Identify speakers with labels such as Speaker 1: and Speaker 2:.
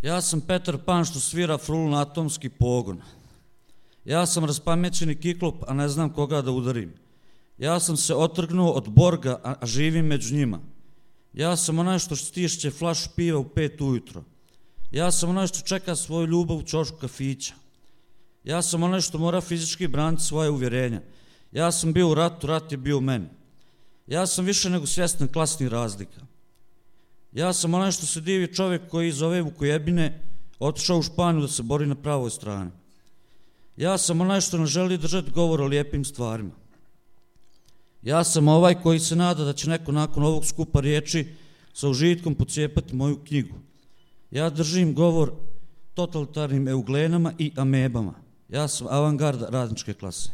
Speaker 1: Ja sam Petar Pan što svira frulu na atomski pogon. Ja sam raspamećeni kiklop, a ne znam koga da udarim. Ja sam se otrgnuo od Borga, a živim među njima. Ja sam onaj što stišće flašu piva u 5 ujutro. Ja sam onaj što čeka svoju ljubav u ćošku kafića. Ja sam onaj što mora fizički braniti svoje uvjerenja. Ja sam bio u ratu, rat je bio u meni. Ja sam više nego svjestan klasnih razlika. Ja sam onaj što se divi čovjek koji iz ove Vukojebine otišao u Španiju da se bori na pravoj strani. Ja sam onaj što ne želi držati govor o lijepim stvarima. Ja sam ovaj koji se nada da će neko nakon ovog skupa riječi sa užitkom pocijepati moju knjigu. Ja držim govor totalitarnim euglenama i amebama. Ja sam avangarda radničke klase.